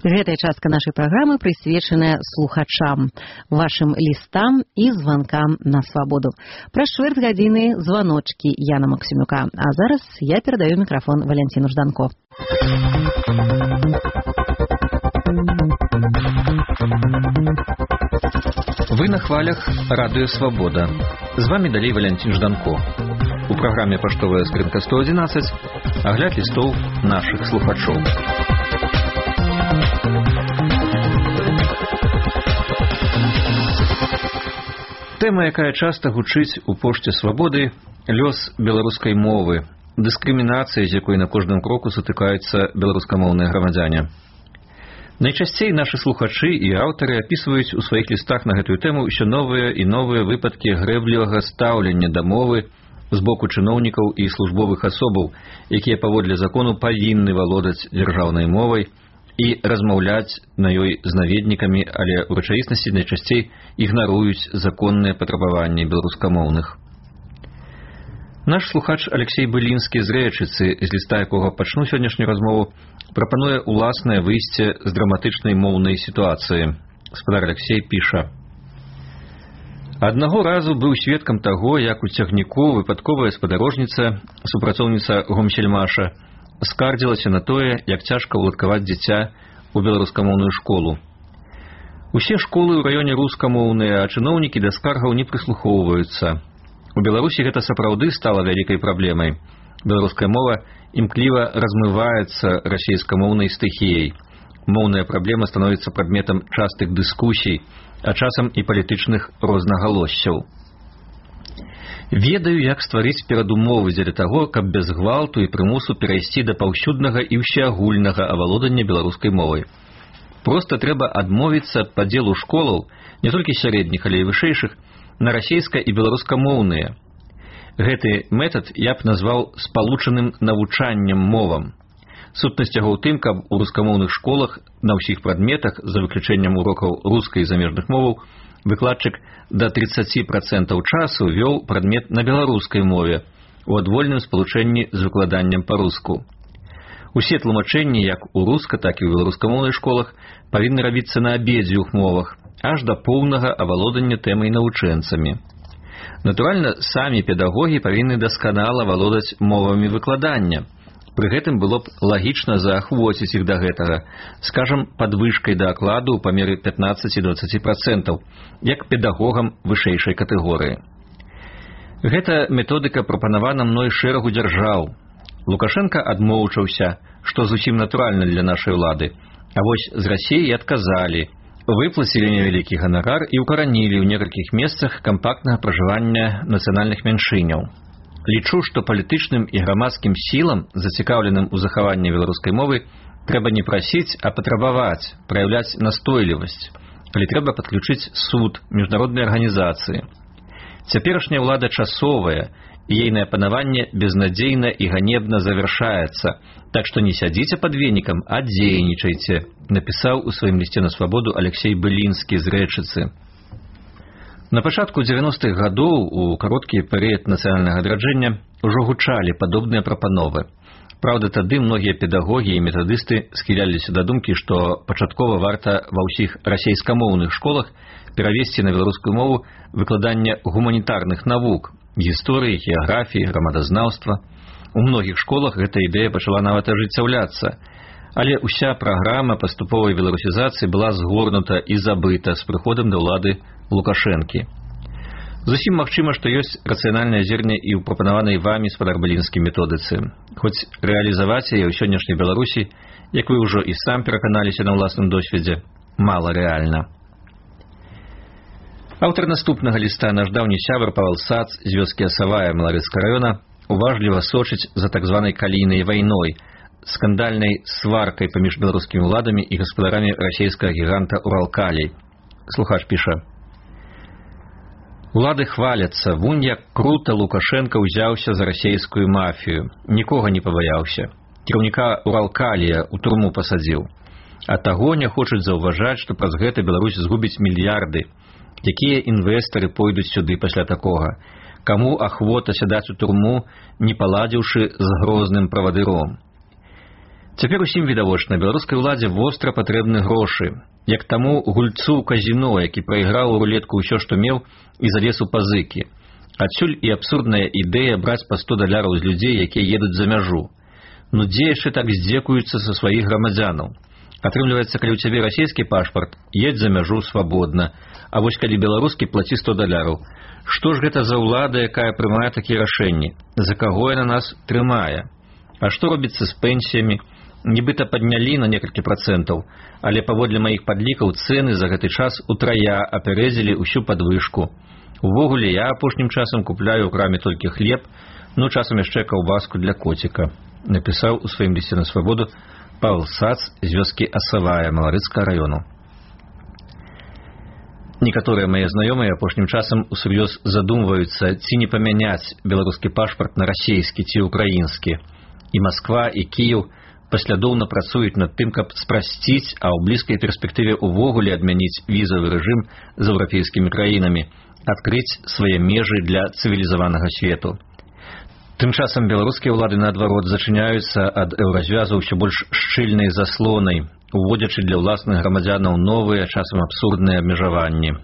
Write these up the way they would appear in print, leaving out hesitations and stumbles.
Гэтая частка нашай праграмы прысвечаная слухачам, вашым лістам і званкам на свабоду. Праз чвэрць гадзіны званочкі Яна Максімюка. А зараз я перадаю мікрафон Валянціну Жданко. Вы на хвалях Радыё Свабода. З вами далей Валянцін Жданко. У праграме «Паштовая скрынка 111» агляд лістоў нашых слухачоў. Тэма, якая часта гучыць у пошце свабоды, лёс беларускай мовы, дыскрымінацыя, з якой на кожным кроку сутыкаюцца беларускамоўныя грамадзяне. Найчасцей нашы слухачы і аўтары апісваюць у сваіх лістах на гэтую тэму ўсё новыя і новыя выпадкі грэблівага стаўлення да мовы з боку чыноўнікаў і службовых асобаў, якія паводле закону павінны валодаць дзяржаўнай мовай і размаўляць на ёй з наведнікамі, але ў рэчаіснасці найчасцей ігнаруюць законныя патрабаванні беларускамоўных. Наш слухач Алексей Былінскі з Рэчыцы, з ліста якога пачну сённяшнюю размову, прапануе уласнае выйсце з драматычнай моўнай сітуацыі. Гаспадар Алексей піша: «Аднаго разу быў сведкам таго, як у цягніку выпадковая спадарожніца, супрацоўніца гомсельмаша, скардзілася на тое, як цяжка ўладкаваць дзіця ў беларускамоўную школу. Усе школы ў раёне рускамоўныя, а чыноўнікі да скаргаў не прыслухоўваюцца. У Беларусі гэта сапраўды стала вялікай праблемай. Беларуская мова імкліва размываецца расейскамоўнай стыхіяй. Моўная праблема становіцца прадметам частых дыскусій, а часам і палітычных рознагалоссяў. Ведаю, як стварыць перадумовы дзеля таго, каб без гвалту і прымусу перайсці да паўсюднага і ўсеагульнага авалодання беларускай мовай. Проста трэба адмовіцца ад падзелу школаў, не толькі сярэдніх, але і вышэйшых, на расейска- і беларускамоўныя. Гэты метад я б назваў спалучаным навучаннем мовам. Сутнасць яго ў тым, каб у рускамоўных школах на ўсіх прадметах, за выключэннем урокаў рускай і замежных моваў, выкладчык да 30% часу вёў прадмет на беларускай мове, у адвольным спалучэнні з выкладаннем па-руску. Усе тлумачэнні, як у руска, так і ў беларускамоўных школах, павінны рабіцца на абедзвюх мовах, аж да поўнага авалодання тэмай навучэнцамі. Натуральна, самі педагогі павінны дасканала валодаць мовамі выкладання. Пры гэтым было б лагічна заахвоціць іх да гэтага, скажам, падвышкай да акладу ў памеры 15-20%, як педагогам вышэйшай катэгорыі. Гэта методыка прапанавана мной шэрагу дзяржаў. Лукашенка адмоўчаўся, што зусім натуральна для нашай улады, а вось з Расіі адказалі, выплацілі невялікі ганарар і ўкаранілі ў некалькіх месцах кампактнага пражывання нацыянальных мяншыняў. Лічу, што палітычным і грамадскім сілам, зацікаўленым у захаванні беларускай мовы, трэба не прасіць, а патрабаваць, праяўляць настойлівасць. Але трэба падключыць суд, міжнародныя арганізацыі. Цяперашняя ўлада часовая, і ейнае панаванне безнадзейна і ганебна завяршаецца. Так што не сядзіце пад венікам, а дзейнічайце, напісаў у сваім лісце на свабоду Алексей Былінскі з Рэчыцы. На пачатку 90-х гадоў, у кароткі перыяд нацыянальнага адраджэння, ужо гучалі падобныя прапановы. Праўда, тады многія педагогі і метадысты схіляліся да думкі, што пачаткова варта ва ўсіх расейскамоўных школах перавесці на беларускую мову выкладанне гуманітарных навук, гісторыі, геаграфіі, грамадазнаўства. У многіх школах гэта ідэя пачала нават ажыццяўляцца. Але ўся праграма паступовай беларусізацыі была згорнута і забыта з прыходам да ўлады Лукашэнкі. Зусім магчыма, што ёсць рацыянальнае зерне і ў прапанаванай вамі спадар Былінскі методыцы. Хоць рэалізаваць яе ў сённяшняй Беларусі, як вы ўжо і сам пераканаліся на ўласным досведзе, мала рэальна. Аўтар наступнага ліста, наш даўні сябар Павел Сац з вёскі Асавая Малавецкага раёна, уважліва сочыць за так званай калійнай вайной, скандальнай сваркай паміж беларускімі ўладамі і гаспадарамі расейскага гіганта Уралкалій. Слухач піша: «Улады хваляцца, вунь як крута Лукашенко ўзяўся за расейскую мафію, нікога не пабаяўся. Кіраўніка Уралкалія ў турму пасадзіў. А таго не хочуць заўважаць, што праз гэта Беларусь згубіць мільярды. Якія інвестары пойдуць сюды пасля такога? Каму ахвота сядаць у турму, не паладзіўшы з грозным правадыром? Цяпер усім відавочна, беларускай уладзе востра патрэбны грошы, як таму гульцу казіно, які прайграў у рулетку ўсё, што меў, і залез у пазыкі. Адсюль і абсурдная ідэя браць па $100 з людзей, якія едуць за мяжу. Ну дзе яшчэ так здзекуюцца са сваіх грамадзянаў? Атрымліваецца, калі ў цябе расійскі пашпарт, едзь за мяжу свабодна, а вось калі беларускі, плаці $100. Што ж гэта за ўлада, якая прымае такія рашэнні? За каго яна нас трымае? А што робіцца з пенсіямі? Нібыта паднялі на некалькі процентаў, але паводле маіх падлікаў цэны за гэты час утрая апярэдзілі ўсю падвышку. Увогуле, я апошнім часам купляю ў краме толькі хлеб, ну часам яшчэ каўбаску для коціка, напісаў у сваім лісце на свабоду Павел Сац з вёскі Асавая Маларыцкага раёну. Некаторыя мае знаёмыя апошнім часам усур'ёз задумваюцца, ці не памяняць беларускі пашпарт на расійскі ці украінскі. І Масква, і Кіеў паслядоўна працуюць над тым, каб спрасціць, а ў блізкай перспектыве ўвогуле адмяніць візавы рэжым з еўрапейскімі краінамі, адкрыць свае межы для цывілізаванага свету. Тым часам беларускія ўлады, наадварот, зачыняюцца ад еўразвязу ўсё больш шчыльнай заслонай, уводзячы для ўласных грамадзянаў новыя, часам абсурдныя абмежаванні.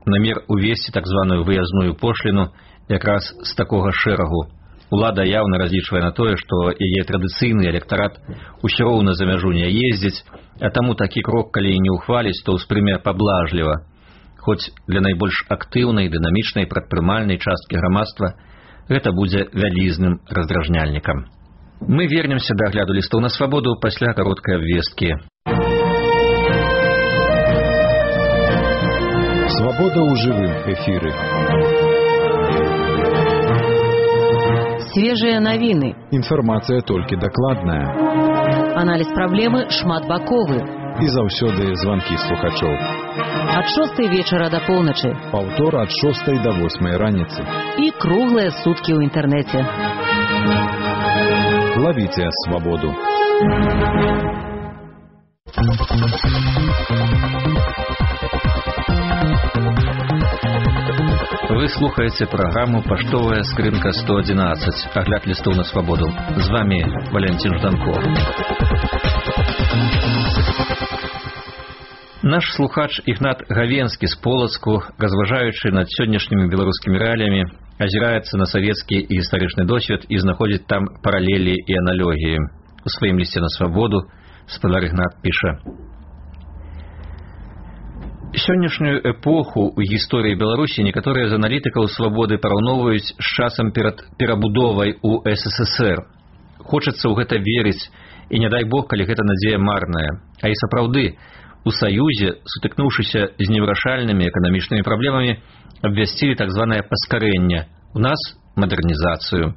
Намер увесці так званую выязную пошліну якраз з такога шэрагу. Улада яўна разлічвае на тое, што яе традыцыйны электарат усё роўна за мяжу не ездзіць, а таму такі крок, калі і не ўхваліць, то ўспрыме паблажліва. Хоць для найбольш актыўнай, дынамічнай, прадпрымальнай часткі грамадства гэта будзе вялізным раздражняльнікам. Мы вернемся да агляду лістаў на свабоду пасля кароткай абвесткі. Свабода ў жывым эфіры. Свежие навіны. Інфармацыя толькі дакладная. Аналіз праблемы шматбаковы. І заўсёды званкі слухачоў. Ад 6 вечара да поўначы. Паўтор ад 6 до 8 раніцы. І круглыя суткі ў інтэрнэце. Лавіце свабоду. Вы слухаеце праграму «Паштовая скрынка 111», агляд лістоў на свабоду. З вами Валентин Жданко. Наш слухач Ігнат Гавенскі з Полацку, разважаючы над сённяшнімі беларускімі рэаліямі, азіраецца на савецкі і гістарычны досвед і знаходзіць там паралелі і аналогіі. У сваім лісце на свабоду спадар Ігнат піша: сённяшнюю эпоху ў гісторыі Беларусі некаторыя з аналітыкаў свабоды параўноўваюць з часам перад перабудовай у СССР. Хочацца ў гэта верыць, і не дай Бог, калі гэта надзея марная. А і сапраўды, у Саюзе, сутыкнуўшыся з невырашальнымі эканамічнымі праблемамі, абвясцілі так званае паскарэнне. У нас мадэрнізацыю.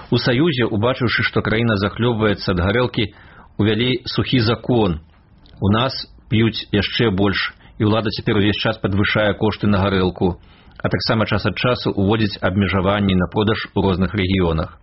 У Саюзе, убачыўшы, што краіна захлёбваецца ад гарэлкі, увялі сухі закон. У нас п'юць яшчэ больш, і ўлада цяпер увесь час падвышае кошты на гарэлку, а таксама час ад часу уводзіць абмежаванні на продаж у розных рэгіёнах.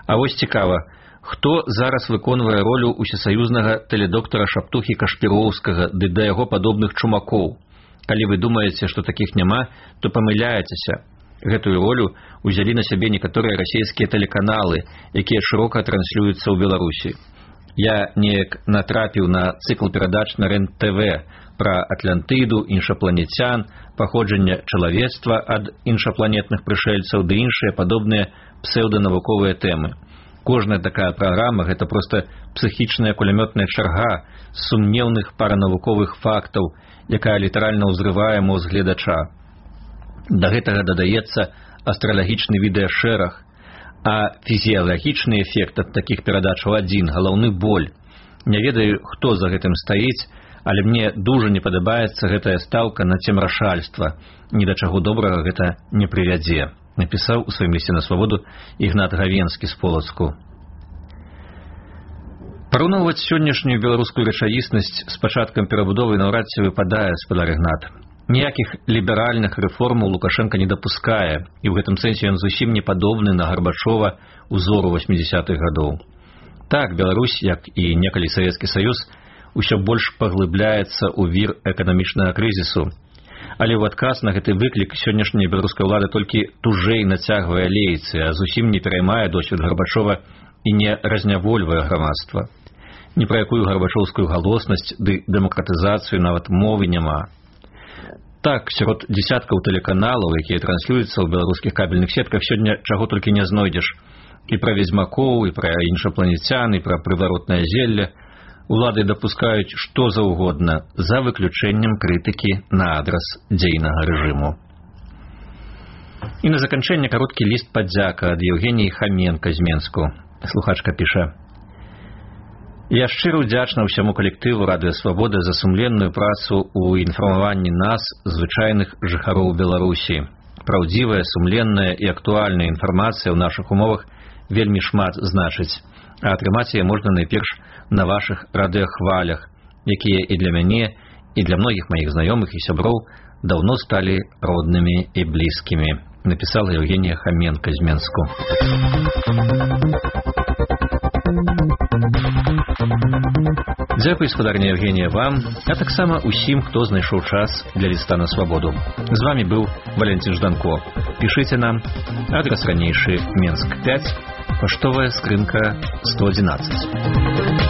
А вось цікава, хто зараз выконвае ролю усесаюзнага тэледоктара Шаптухі Кашпіроўскага ды да яго падобных чумакоў? Калі вы думаеце, што такіх няма, то памыляецеся. Гэтую ролю узялі на сябе некаторыя расійскія тэлеканалы, якія шырока транслююцца ў Беларусі. Я неяк натрапіў на цыкл перадач на РЕН-ТВ пра Атлантыду, іншапланецян, паходжанне чалавецтва ад іншапланетных прышэльцаў ды іншыя падобныя псеўданавуковыя тэмы. Кожная такая праграма – гэта проста псіхічная кулямётная чарга сумнеўных паранавуковых фактаў, якая літаральна ўзрывае мозг гледача. Да гэтага дадаецца астралагічны відэашэраг, а фізіялагічны эфект ад такіх перадачаў адзін – галаўны боль. Не ведаю, хто за гэтым стаіць, але мне дужа не падабаецца гэтая стаўка на цемрашальства. Ні да чаго добрага гэта не прывядзе, напісаў у сваім лісце на свабоду Ігнат Гавенскі з Полацку. Параўноўваць сённяшнюю беларускую рэчаіснасць з пачаткам перабудовы наўрад ці выпадае, спадар Ігнат. Ніякіх ліберальных рэформаў Лукашенка не дапускае, і ў гэтым сэнсе ён зусім не падобны на Гарбачова узору 80-х гадоў. Так, Беларусь, як і некалі Савецкі Саюз, усё больш паглыбляецца ў вір эканамічнага крызісу. Але ў адказ на гэты выклік сённяшняя беларуская ўлада толькі тужэй нацягвае лейцы, а зусім не пераймае досвед Гарбачова і не разнявольвае грамадства. Ні пра якую гарбачоўскую галоснасць ды дэмакратызацыю нават мовы няма. Так, сярод дзесяткаў тэлеканалаў, якія транслююцца ў беларускіх кабельных сетках, сёння чаго толькі не знойдзеш. І пра ведзьмакоў, і пра іншапланецян, і пра прываротнае зелле. Улады дапускаюць што заўгодна, за выключэннем крытыкі на адрас дзейнага рэжыму. І на заканчэнне кароткі ліст падзяка ад Евгеніі Хаменка з Менску. Слухачка піша: «Я шчыра ўдзячна ўсяму калектыву Радыё Свабода за сумленную працу ў інфармаванні нас, звычайных жыхароў Беларусі. Праўдзівая, сумленная і актуальная інфармацыя ў нашых умовах вельмі шмат значыць, а атрымаць яе можна найперш на вашых радыёхвалях, якія і для мяне, і для многіх маіх знаёмых і сяброў даўно сталі роднымі і блізкімі», напісала Евгенія Хаменка з Менску. Дзякуй, спадарня Евгенія, вам, а таксама усім, хто знайшоў час для ліста на свабоду. З вами быў Валентин Жданко. Пішыце нам. Адрас ранейшы: Менск 5, паштовая скрынка 111.